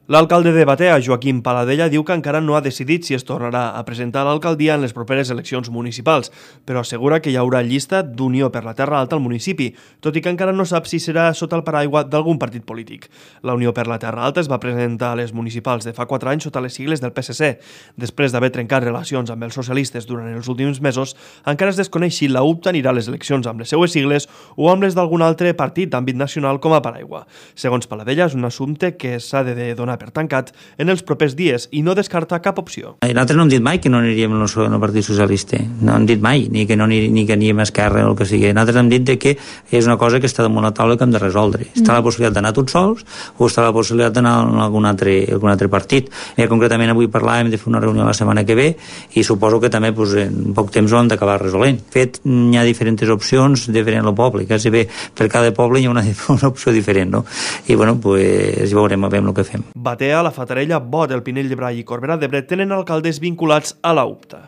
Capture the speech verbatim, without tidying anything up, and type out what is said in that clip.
L'alcalde de Batea, Joaquim Paladella, diu que encara no ha decidit si es tornarà a presentar a l'alcaldia en les properes eleccions municipals, però assegura que hi haurà llista d'Unió per la Terra Alta al municipi, tot i que encara no sap si serà sota el paraigua d'algun partit polític. La Unió per la Terra Alta es va presentar a les municipals de fa quatre anys sota les sigles del P S C. Després d'haver trencat relacions amb els socialistes durant els últims mesos, encara es desconeix si la U P T anirà a les eleccions amb les seues sigles o amb les d'algun altre partit d'àmbit nacional com a paraigua. Segons Paladella, és un assumpte que s'ha de donar per tancat en els propers dies i no descarta cap opció. Nosaltres no hem dit mai que no aniríem en el Partit Socialista, no hem dit mai, ni que no aniríem, ni que aniríem a Esquerra o el que sigui. Nosaltres hem dit que és una cosa que està damunt la taula que hem de resoldre. Està la possibilitat d'anar tots sols o està la possibilitat d'anar a algun altre, algun altre partit. I concretament avui parlàvem de fer una reunió la setmana que ve i suposo que també pues, en poc temps ho hem d'acabar resolent. De fet, hi ha diferents opcions diferents al poble, quasi bé per cada poble hi ha una, una opció diferent, no? I bueno, pues, veurem a veure el que fem. Batea, la Fatarella, Bot, el Pinell de Brai i Corberà d'Ebre tenen alcaldes vinculats a la U P T A.